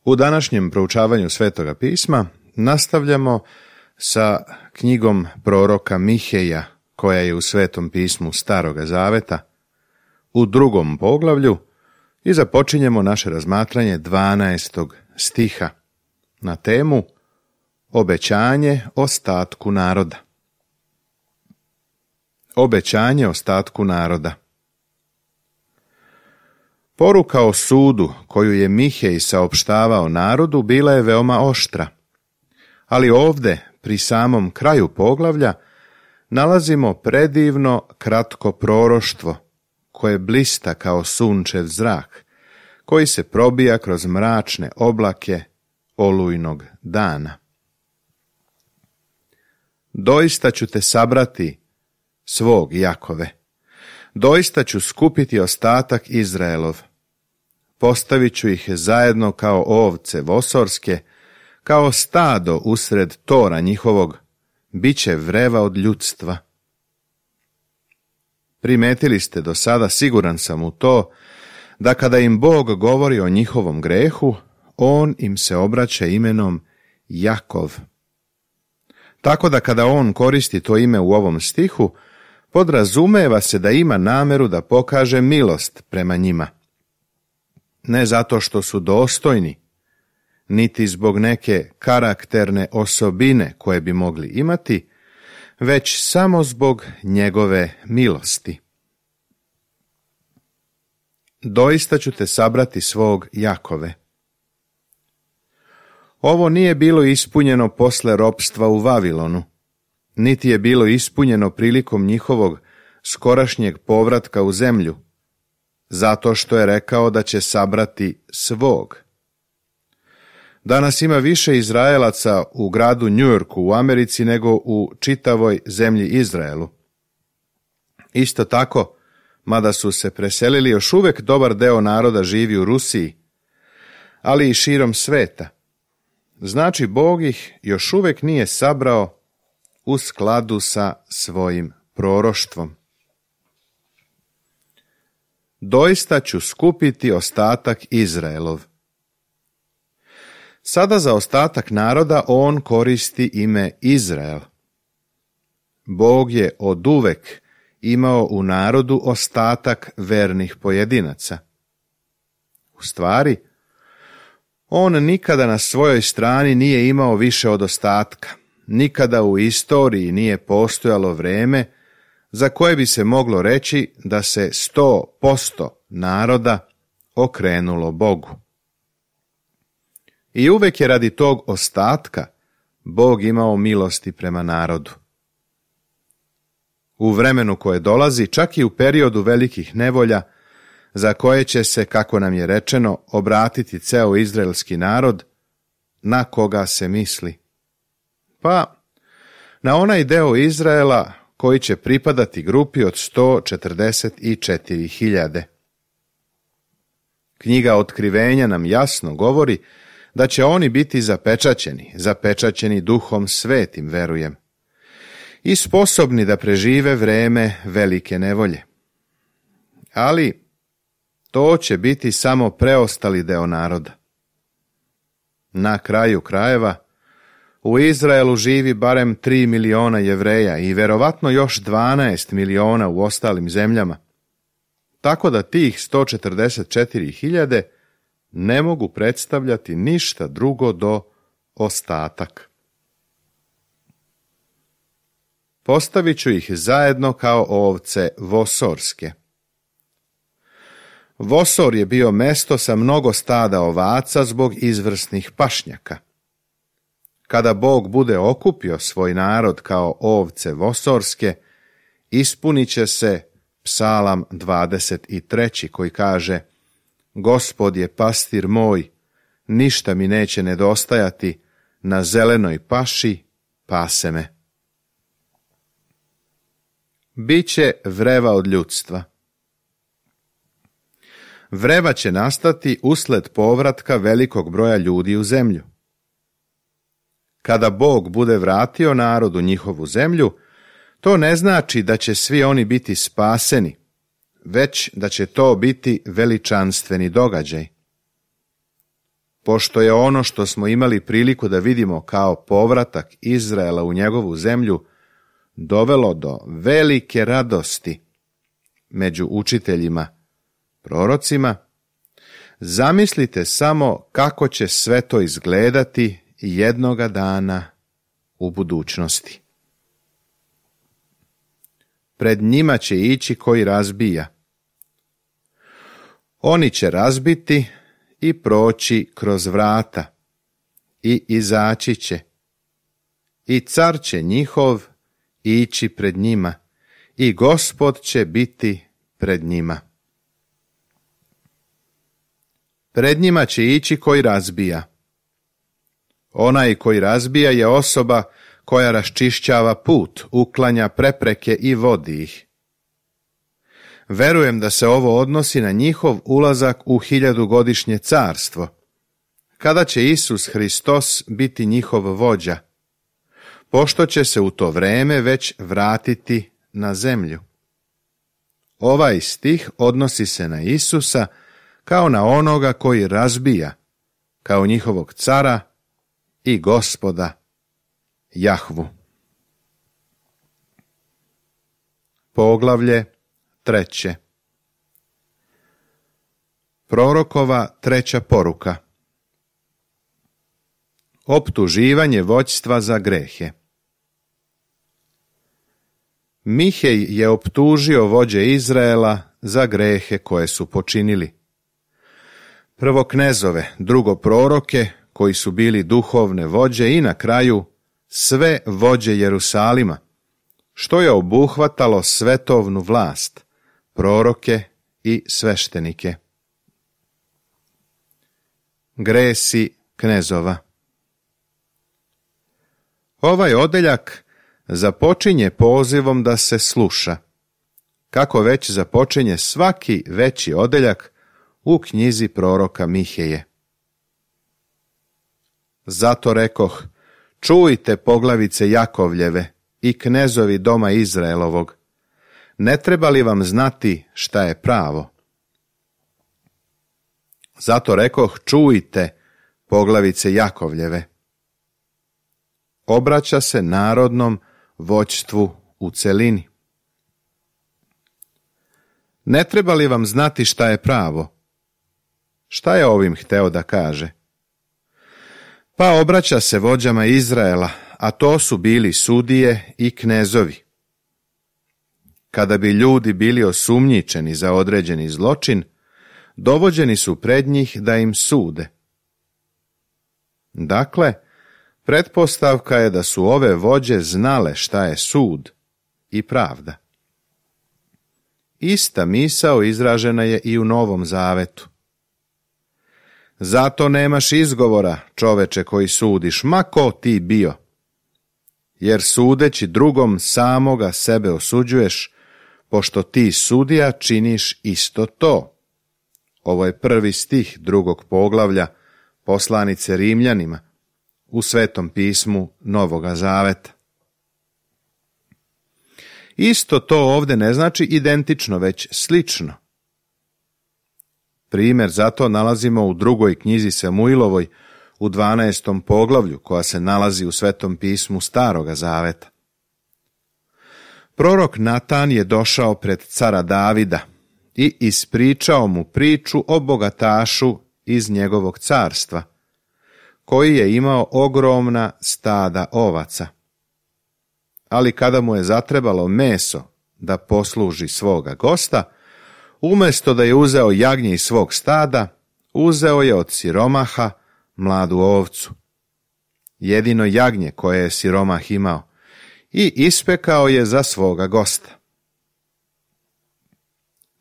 U današnjem proučavanju Svetoga pisma nastavljamo sa knjigom proroka Miheja, koja je u Svetom pismu Staroga zaveta, u 2. poglavlju, i započinjemo naše razmatranje 12. stiha na temu Obećanje ostatku naroda. Obećanje ostatku naroda. Poruka o sudu koju je Mihej saopštavao narodu bila je veoma oštra, ali ovdje, pri samom kraju poglavlja, nalazimo predivno kratko proroštvo koje blista kao sunčev zrak, koji se probija kroz mračne oblake olujnog dana. Doista ću te sabrati, svog Jakove, doista ću skupiti ostatak Izraelov, postavit ću ih zajedno kao ovce vosorske, kao stado usred tora njihovog, bit će vreva od ljudstva. Primetili ste do sada, siguran sam u to, da kada im Bog govori o njihovom grehu, on im se obraća imenom Jakov. Tako da kada on koristi to ime u ovom stihu, podrazumeva se da ima nameru da pokaže milost prema njima. Ne zato što su dostojni, niti zbog neke karakterne osobine koje bi mogli imati, već samo zbog njegove milosti. Doista ću te sabrati, svog Jakove. Ovo nije bilo ispunjeno posle ropstva u Vavilonu, niti je bilo ispunjeno prilikom njihovog skorašnjeg povratka u zemlju, zato što je rekao da će sabrati svog. Danas ima više Izraelaca u gradu Njujorku u Americi nego u čitavoj zemlji Izraelu. Isto tako, mada su se preselili, još uvijek dobar deo naroda živi u Rusiji, ali i širom sveta. Znači, Bog ih još uvijek nije sabrao u skladu sa svojim proroštvom. Doista ću skupiti ostatak Izraelov. Sada za ostatak naroda on koristi ime Izrael. Bog je oduvek imao u narodu ostatak vernih pojedinaca. U stvari, on nikada na svojoj strani nije imao više od ostatka. Nikada u istoriji nije postojalo vreme za koje bi se moglo reći da se 100% naroda okrenulo Bogu. I uvek je radi tog ostatka Bog imao milosti prema narodu. U vremenu koje dolazi, čak i u periodu velikih nevolja, za koje će se, kako nam je rečeno, obratiti ceo izraelski narod, na koga se misli? Pa, na onaj deo Izraela koji će pripadati grupi od 144.000. Knjiga Otkrivenja nam jasno govori da će oni biti zapečaćeni Duhom Svetim, verujem, i sposobni da prežive vreme velike nevolje. Ali to će biti samo preostali deo naroda. Na kraju krajeva, u Izraelu živi barem 3 miliona Jevreja i verovatno još 12 miliona u ostalim zemljama, tako da tih 144.000 ne mogu predstavljati ništa drugo do ostatak. Postavit ću ih zajedno kao ovce vosorske. Vosor je bio mesto sa mnogo stada ovaca zbog izvrsnih pašnjaka. Kada Bog bude okupio svoj narod kao ovce vosorske, ispunit će se Psalam 23. koji kaže: Gospod je pastir moj, ništa mi neće nedostajati, na zelenoj paši pase me. Biće vreva od ljudstva. Vreva će nastati usled povratka velikog broja ljudi u zemlju. Kada Bog bude vratio narodu njihovu zemlju, to ne znači da će svi oni biti spaseni, već da će to biti veličanstveni događaj. pošto je ono što smo imali priliku da vidimo kao povratak Izraela u njegovu zemlju dovelo do velike radosti među učiteljima, prorocima, zamislite samo kako će sve to izgledati jednoga dana u budućnosti. Pred njima će ići koji razbija. Oni će razbiti i proći kroz vrata i izaći će. I car će njihov ići pred njima i Gospod će biti pred njima. Pred njima će ići koji razbija. Onaj koji razbija je osoba koja raščišćava put, uklanja prepreke i vodi ih. Verujem da se ovo odnosi na njihov ulazak u 1000-godišnje carstvo, kada će Isus Hristos biti njihov vođa, pošto će se u to vreme već vratiti na zemlju. Ovaj stih odnosi se na Isusa kao na onoga koji razbija, kao njihovog cara i Gospoda Jahvu. Poglavlje 3. Prorokova 3. poruka. Optuživanje vođstva za grehe. Mihej je optužio vođe Izraela za grehe koje su počinili. Prvo knezove, drugo proroke, koji su bili duhovne vođe i na kraju sve vođe Jerusalima, što je obuhvatalo svetovnu vlast, proroke i sveštenike. Gresi knezova. Ovaj odeljak započinje pozivom da se sluša, kako već započinje svaki veći odeljak u knjizi proroka Miheje. Zato rekoh, čujte poglavice Jakovljeve i knezovi doma Izraelovog, ne treba li vam znati šta je pravo? Zato rekoh, čujte poglavice Jakovljeve. Obraća se narodnom vođstvu u celini. Ne treba li vam znati šta je pravo? Šta je ovim hteo da kaže? Pa obraća se vođama Izraela, a to su bili sudije i knezovi. Kada bi ljudi bili osumnjičeni za određeni zločin, dovođeni su pred njih da im sude. Dakle, pretpostavka je da su ove vođe znale šta je sud i pravda. Ista misao izražena je i u Novom Zavetu. Zato nemaš izgovora, čoveče koji sudiš, ma ko ti bio, jer sudeći drugom samoga sebe osuđuješ, pošto ti sudija činiš isto to. Ovo je 1. stih 2. poglavlja poslanice Rimljanima u Svetom pismu Novoga Zaveta. Isto to ovdje ne znači identično, već slično. Primjer za to nalazimo u 2. knjizi Samuilovoj u 12. poglavlju, koja se nalazi u Svetom pismu Staroga Zaveta. Prorok Natan je došao pred cara Davida i ispričao mu priču o bogatašu iz njegovog carstva, koji je imao ogromna stada ovaca. Ali kada mu je zatrebalo meso da posluži svoga gosta, umjesto da je uzeo jagnje iz svog stada, uzeo je od siromaha mladu ovcu, jedino jagnje koje je siromah imao, i ispekao je za svoga gosta.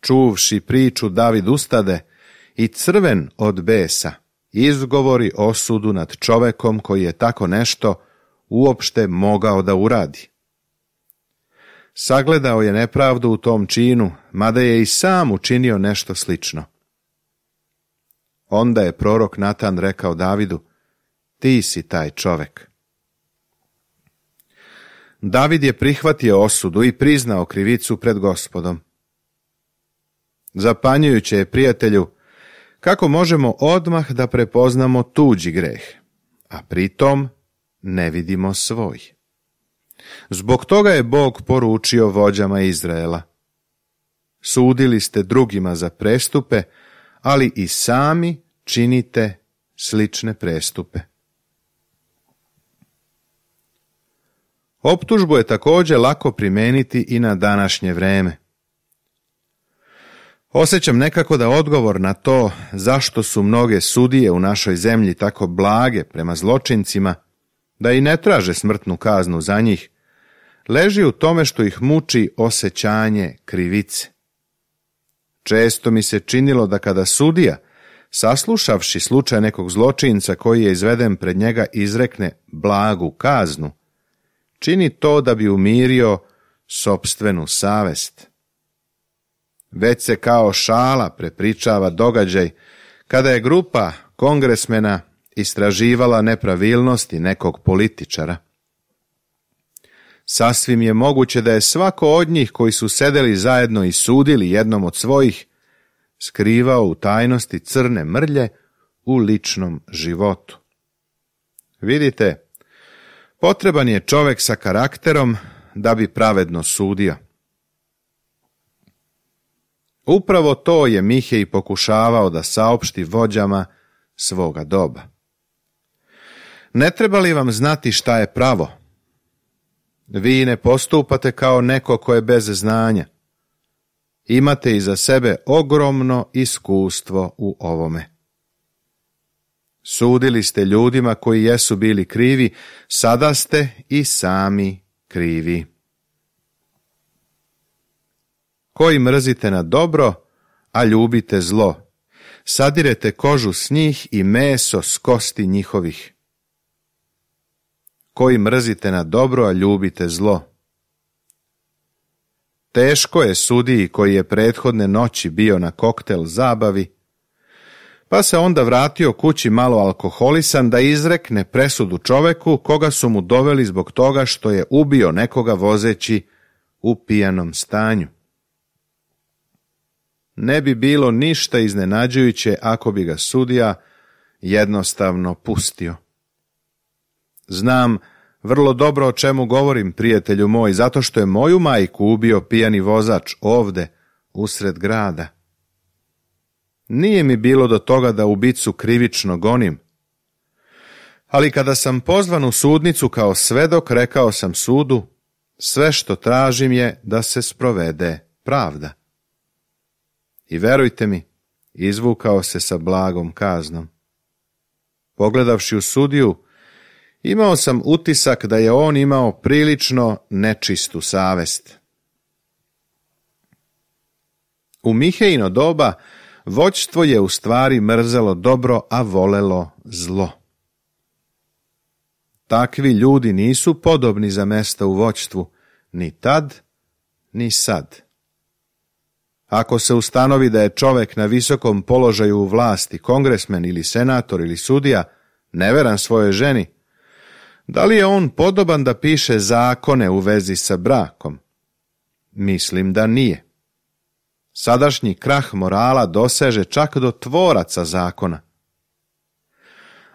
Čuvši priču, David ustade i crven od besa izgovori osudu nad čovekom koji je tako nešto uopšte mogao da uradi. Sagledao je nepravdu u tom činu, mada je i sam učinio nešto slično. Onda je prorok Natan rekao Davidu, ti si taj čovek. David je prihvatio osudu i priznao krivicu pred Gospodom. Zapanjujuće je, prijatelju, kako možemo odmah da prepoznamo tuđi greh, a pritom ne vidimo svoj. Zbog toga je Bog poručio vođama Izraela: sudili ste drugima za prestupe, ali i sami činite slične prestupe. Optužbu je također lako primijeniti i na današnje vreme. Osjećam nekako da odgovor na to zašto su mnoge sudije u našoj zemlji tako blage prema zločincima, da i ne traže smrtnu kaznu za njih, leži u tome što ih muči osjećanje krivice. Često mi se činilo da kada sudija, saslušavši slučaj nekog zločinca koji je izveden pred njega, izrekne blagu kaznu, čini to da bi umirio sopstvenu savest. Već se kao šala prepričava događaj kada je grupa kongresmena istraživala nepravilnosti nekog političara. Sasvim je moguće da je svako od njih koji su sedeli zajedno i sudili jednom od svojih skrivao u tajnosti crne mrlje u ličnom životu. Vidite, potreban je čovjek sa karakterom da bi pravedno sudio. Upravo to je Mihej pokušavao da saopšti vođama svoga doba. Ne treba li vam znati šta je pravo? Vi ne postupate kao neko ko je bez znanja. Imate iza sebe ogromno iskustvo u ovome. Sudili ste ljudima koji jesu bili krivi, sada ste i sami krivi. Koji mrzite na dobro, a ljubite zlo, sadirete kožu s njih i meso s kosti njihovih. Koji mrzite na dobro, a ljubite zlo. Teško je sudiji koji je prethodne noći bio na koktel zabavi, pa se onda vratio kući malo alkoholisan da izrekne presudu čoveku koga su mu doveli zbog toga što je ubio nekoga vozeći u pijanom stanju. Ne bi bilo ništa iznenađujuće ako bi ga sudija jednostavno pustio. Znam vrlo dobro o čemu govorim, prijatelju moj, zato što je moju majku ubio pijani vozač ovde, usred grada. Nije mi bilo do toga da ubicu krivično gonim, ali kada sam pozvan u sudnicu kao svedok, rekao sam sudu, sve što tražim je da se sprovede pravda. I verujte mi, izvukao se sa blagom kaznom. Pogledavši u sudiju, imao sam utisak da je on imao prilično nečistu savest. U Mihejino doba vođstvo je u stvari mrzelo dobro, a volelo zlo. Takvi ljudi nisu podobni za mesta u vođstvu, ni tad, ni sad. Ako se ustanovi da je čovjek na visokom položaju u vlasti, kongresmen ili senator ili sudija, neveran svojoj ženi, da li je on podoban da piše zakone u vezi sa brakom? Mislim da nije. Sadašnji krah morala doseže čak do tvoraca zakona.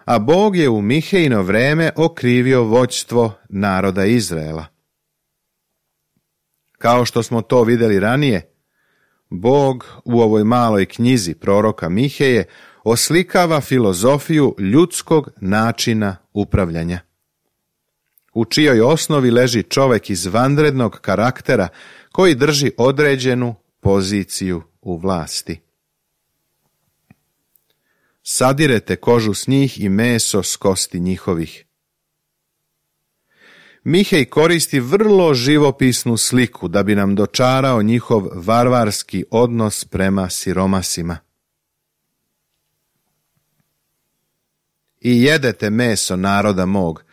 A Bog je u Mihejino vreme okrivio vođstvo naroda Izraela. Kao što smo to vidjeli ranije, Bog u ovoj maloj knjizi proroka Miheje oslikava filozofiju ljudskog načina upravljanja, u čijoj osnovi leži čovjek izvanrednog karaktera koji drži određenu poziciju u vlasti. Sadirete kožu s njih i meso s kosti njihovih. Mihej koristi vrlo živopisnu sliku da bi nam dočarao njihov varvarski odnos prema siromasima. I jedete meso naroda mog,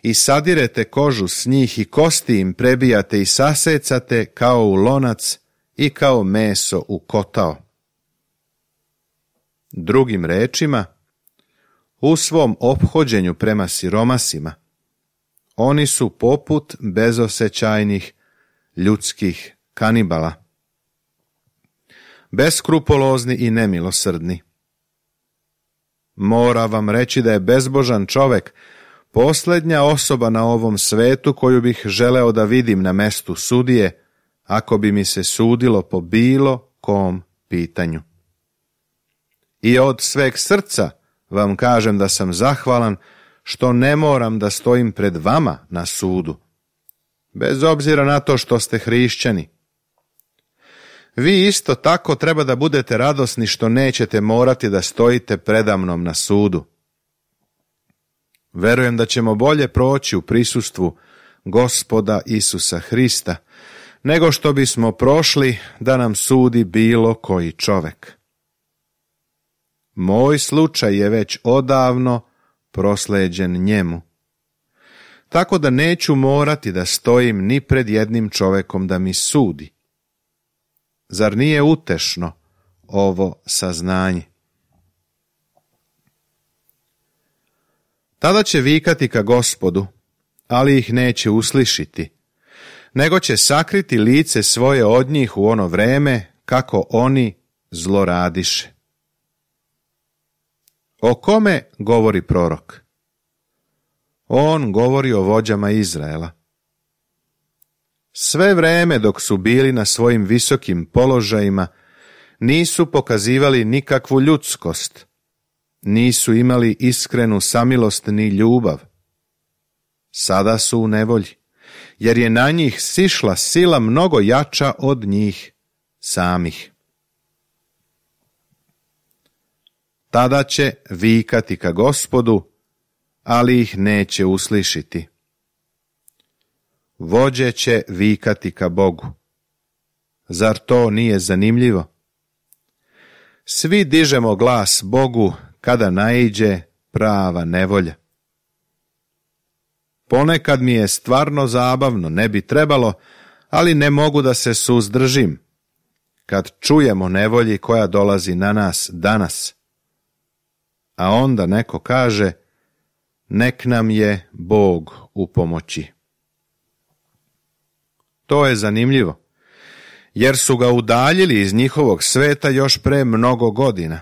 i sadirete kožu s njih i kosti im prebijate i sasecate kao u lonac i kao meso u kotao. Drugim rečima, u svom ophođenju prema siromasima, oni su poput bezosećajnih ljudskih kanibala, beskrupolozni i nemilosrdni. Mora vam reći da je bezbožan čovek posljednja osoba na ovom svetu koju bih želeo da vidim na mestu sudije, ako bi mi se sudilo po bilo kom pitanju. I od sveg srca vam kažem da sam zahvalan što ne moram da stojim pred vama na sudu, bez obzira na to što ste hrišćani. Vi isto tako treba da budete radosni što nećete morati da stojite predamnom na sudu. Verujem da ćemo bolje proći u prisustvu Gospoda Isusa Hrista, nego što bismo prošli da nam sudi bilo koji čovek. Moj slučaj je već odavno prosleđen njemu, tako da neću morati da stojim ni pred jednim čovekom da mi sudi. Zar nije utešno ovo saznanje? Tada će vikati ka Gospodu, ali ih neće uslišiti, nego će sakriti lice svoje od njih u ono vreme kako oni zloradiše. O kome govori prorok? On govori o vođama Izraela. Sve vreme dok su bili na svojim visokim položajima, nisu pokazivali nikakvu ljudskost, nisu imali iskrenu samilost ni ljubav. Sada su u nevolji, jer je na njih sišla sila mnogo jača od njih samih. Tada će vikati ka Gospodu, ali ih neće uslišiti. Vođe će vikati ka Bogu. Zar to nije zanimljivo? Svi dižemo glas Bogu kada naiđe prava nevolja. Ponekad mi je stvarno zabavno, ne bi trebalo, ali ne mogu da se suzdržim kad čujemo nevolji koja dolazi na nas danas. A onda neko kaže, nek nam je Bog u pomoći. To je zanimljivo, jer su ga udaljili iz njihovog sveta još pre mnogo godina.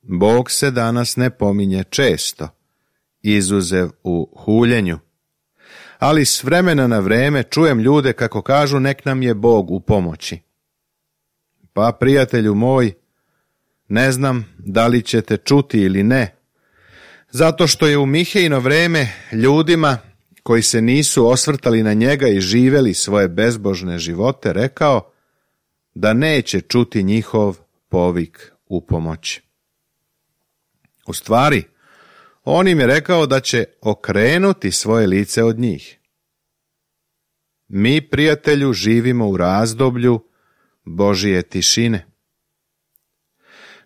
Bog se danas ne pominje često, izuzev u huljenju, ali s vremena na vreme čujem ljude kako kažu nek nam je Bog u pomoći. Pa, prijatelju moj, ne znam da li ćete čuti ili ne, zato što je u Mihejino vreme ljudima koji se nisu osvrtali na njega i živeli svoje bezbožne živote rekao da neće čuti njihov povik u pomoć. U stvari, on im je rekao da će okrenuti svoje lice od njih. Mi, prijatelju, živimo u razdoblju Božije tišine.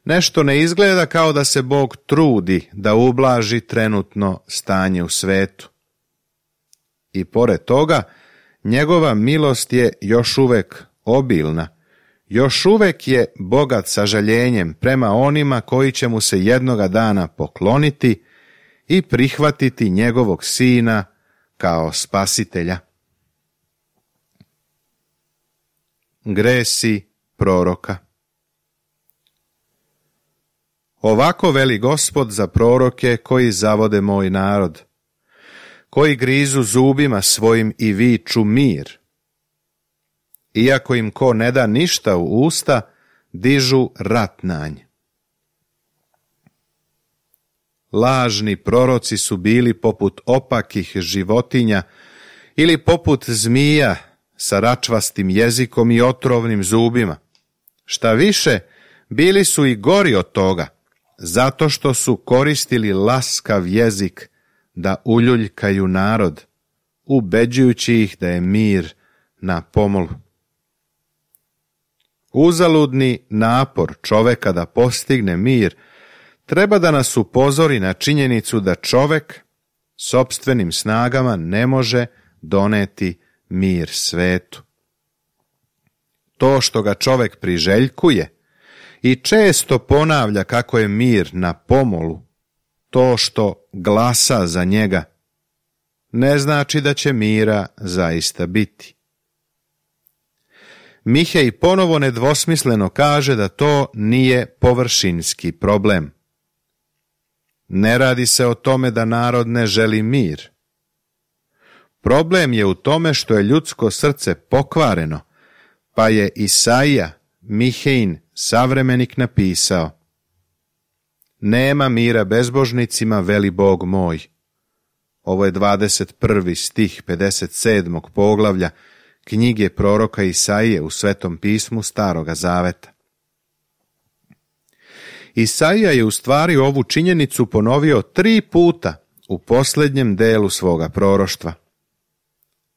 Nešto ne izgleda kao da se Bog trudi da ublaži trenutno stanje u svetu. I pored toga, njegova milost je još uvek obilna, još uvek je bogat sažaljenjem prema onima koji će mu se jednoga dana pokloniti i prihvatiti njegovog sina kao spasitelja. Gresi proroka. Ovako veli Gospod za proroke koji zavode moj narod, koji grizu zubima svojim i viču mir. Iako im ko ne da ništa u usta, dižu rat na nj. Lažni proroci su bili poput opakih životinja ili poput zmija sa račvastim jezikom i otrovnim zubima. Šta više, bili su i gori od toga, zato što su koristili laskav jezik da uljuljkaju narod, ubeđujući ih da je mir na pomolu. Uzaludni napor čoveka da postigne mir treba da nas upozori na činjenicu da čovek sopstvenim snagama ne može doneti mir svetu. To što ga čovek priželjkuje i često ponavlja kako je mir na pomolu, to što glasa za njega, ne znači da će mira zaista biti. Mihej ponovo nedvosmisleno kaže da to nije površinski problem, Ne radi se o tome da narod ne želi mir. Problem je u tome što je ljudsko srce pokvareno, pa je Isaija, Mihejin, savremenik, napisao: nema mira bezbožnicima, veli Bog moj. Ovo je 21. stih 57. poglavlja knjige proroka Isaije u Svetom pismu Staroga zaveta. Isaija je u stvari ovu činjenicu ponovio 3 puta u posljednjem delu svoga proroštva.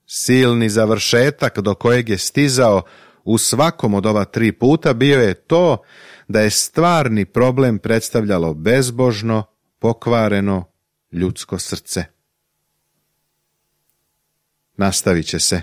Silni završetak do kojeg je stizao u svakom od ova 3 puta bio je to da je stvarni problem predstavljalo bezbožno, pokvareno ljudsko srce. Nastavit će se